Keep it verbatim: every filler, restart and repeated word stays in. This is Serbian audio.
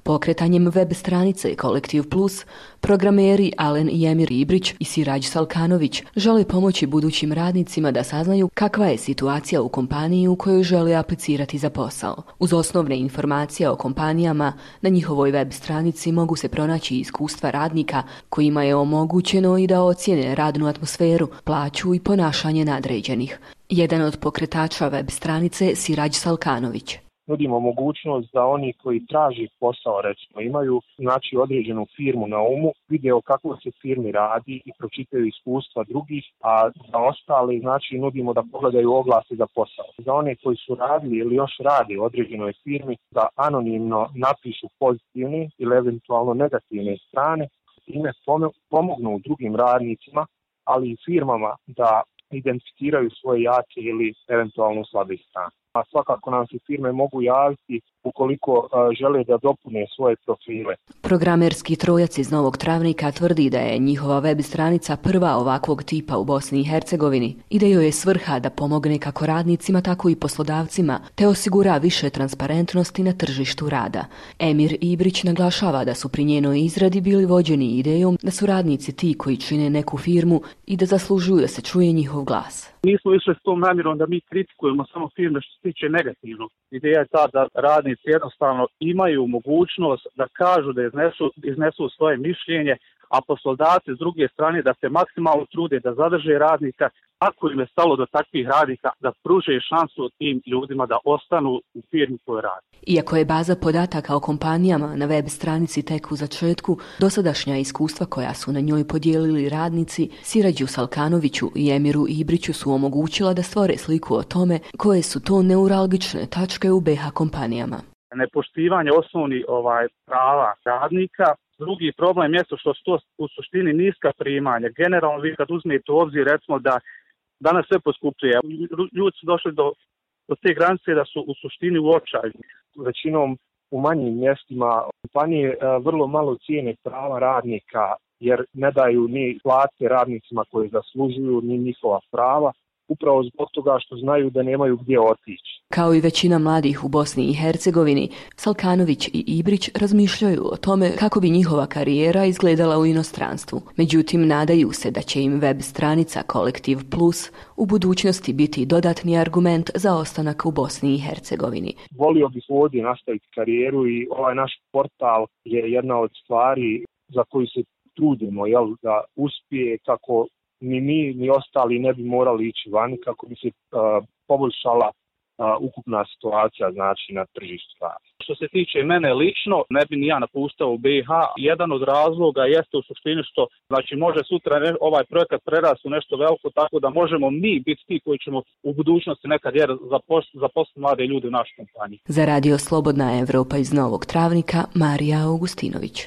Pokretanjem web stranice Kolektiv Plus, programeri Alen i Emir Ibrić i Sirađ Salkanović žele pomoći budućim radnicima da saznaju kakva je situacija u kompaniji u kojoj žele aplicirati za posao. Uz osnovne informacije o kompanijama, na njihovoj web stranici mogu se pronaći iskustva radnika kojima je omogućeno i da ocijene radnu atmosferu, plaću i ponašanje nadređenih. Jedan od pokretača web stranice Sirađ Salkanović. Nudimo mogućnost da oni koji traži posao, recimo, imaju znači određenu firmu na umu, vide o kakvoj se firmi radi i pročitaju iskustva drugih, a za ostale znači nudimo da pogledaju oglase za posao. Za one koji su radili ili još rade u određenoj firmi, da anonimno napišu pozitivne ili eventualno negativne strane, time pomognu drugim radnicima, ali i firmama da identificiraju svoje jake ili eventualno slabe strane. A svakako nam se firme mogu javiti ukoliko a, žele da dopune svoje profile. Programerski trojac iz Novog Travnika tvrdi da je njihova web stranica prva ovakvog tipa u Bosni i Hercegovini i da joj je svrha da pomogne kako radnicima, tako i poslodavcima, te osigura više transparentnosti na tržištu rada. Emir Ibrić naglašava da su pri njenoj izradi bili vođeni idejom da su radnici ti koji čine neku firmu i da zaslužuju da se čuje njihov glas. Nismo išli s tom namjerom da mi kritikujemo samo firme što se tiče negativno. Ideja je ta da radnici jednostavno imaju mogućnost da kažu, da iznesu, iznesu svoje mišljenje, a poslodavci s druge strane da se maksimalno trude da zadrže radnika, ako im je stalo do takvih radnika, da pruže šansu tim ljudima da ostanu u firmi koju radi. Iako je baza podataka o kompanijama na web stranici tek u začetku, dosadašnja iskustva koja su na njoj podijelili radnici Sirađu Salkanoviću i Emiru Ibriću su omogućila da stvore sliku o tome koje su to neuralgične tačke u B i H kompanijama. Nepoštivanje osnovnih ovaj, prava radnika. Drugi problem je što su to u suštini niska primanja. Generalno vi kad uzmete u obzir recimo da danas sve poskupljuje, ljudi su došli do, do te granice da su u suštini u očaju. Većinom u manjim mjestima kompanije vrlo malo cijene prava radnika jer ne daju ni plate radnicima koje zaslužuju ni njihova prava. Upravo zbog toga što znaju da nemaju gdje otići. Kao i većina mladih u Bosni i Hercegovini, Salkanović i Ibrić razmišljaju o tome kako bi njihova karijera izgledala u inostranstvu. Međutim, nadaju se da će im web stranica Kolektiv Plus u budućnosti biti dodatni argument za ostanak u Bosni i Hercegovini. Volio bih ovdje nastaviti karijeru i ovaj naš portal je jedna od stvari za koju se trudimo, jel, da uspije kako ni mi, ni ostali ne bi morali ići vani kako bi se uh, poboljšala uh, ukupna situacija znači na tržištu rada. Što se tiče mene lično, ne bi ni ja napuštao u B i H. Jedan od razloga jeste u suštini što znači može sutra ne, ovaj projekat prerasti u nešto veliko, tako da možemo mi biti ti koji ćemo u budućnosti nekad jer zaposliti mlade ljude u našoj kompaniji. Za Radio Slobodna Evropa iz Novog Travnika, Marija Augustinović.